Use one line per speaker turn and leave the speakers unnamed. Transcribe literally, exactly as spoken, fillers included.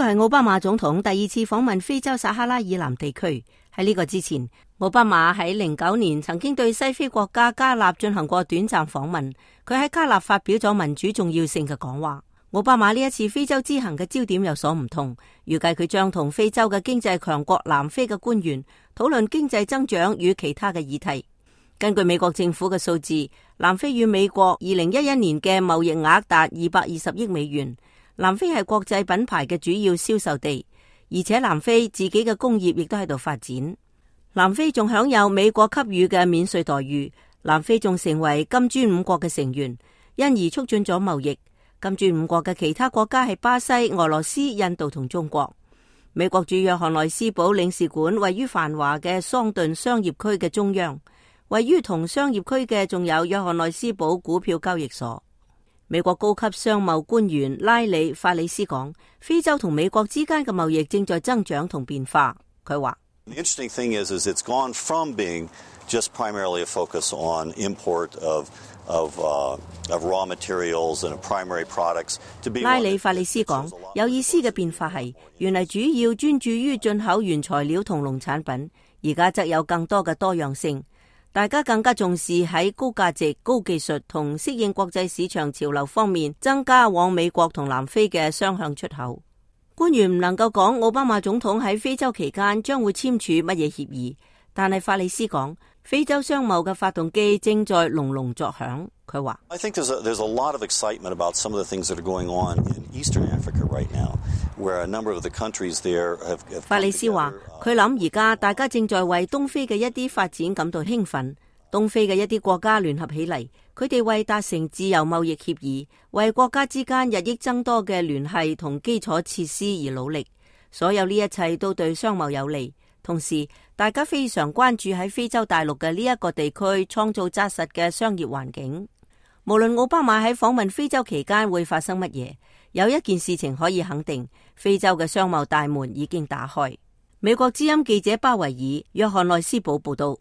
個係奧巴馬總統第二次訪問非洲撒哈拉以南地區。喺呢個之前，奧巴馬喺零九年曾經對西非國家加納進行過短暫訪問。佢喺加納發表咗民主重要性嘅講話。奧巴馬呢一次非洲之行嘅焦點有所唔同，預計佢將同非洲嘅經濟強國南非嘅官員討論經濟增長與其他嘅議題。根據美國政府嘅數字，南非與美國二零一一年嘅貿易額達二百二十億美元。南非係國際品牌嘅主要銷售地，而且南非自己嘅工業亦都喺度發展。南非仲享有美國給予嘅免稅待遇，南非仲成為金磚五國嘅成員，因而促進咗貿易。金磚五國嘅其他國家係巴西、俄羅斯、印度同中國。美國駐約翰內斯堡領事館位於繁華嘅桑頓商業區嘅中央，位於同商業區嘅仲有約翰內斯堡股票交易所。美國高級商貿官員拉里法里斯講，非洲同美國之間嘅貿易正在增長同變化。佢話
：The interesting thing is, is it's gone from being just primarily a focus on import of of uh, of raw materials and primary products to be。拉里法里斯講，有意思嘅變化係，原嚟主要專注於進口原材料同農產品，而家則有更多嘅多樣性。大家更加重視喺高價值、高技術同適應國際市場潮流方面增加往美國同南非嘅雙向出口。官員唔能夠講奧巴馬總統喺非洲期間將會簽署乜嘢協議，但係法里斯講，非洲商貿嘅發動機正在隆隆作響。佢話：I think there's a, there's a lot of excitement about some of the things that are going on in Eastern Africa right now, where a number of the countries there have. 法里斯話：佢諗而家大家正在為東非嘅一啲發展感到興奮。東非嘅一啲國家聯合起嚟，佢哋為達成自由貿易協議，為國家之間日益增多嘅聯繫同基礎設施而努力。所有呢一切都對商貿有利。同時，大家非常關注喺非洲大陸嘅呢一個地區創造紮實嘅商業環境。無論奧巴馬喺訪問非洲期間會發生乜嘢，有一件事情可以肯定，非洲嘅商貿大門已經打開。美國之音記者巴維爾約翰內斯堡報道。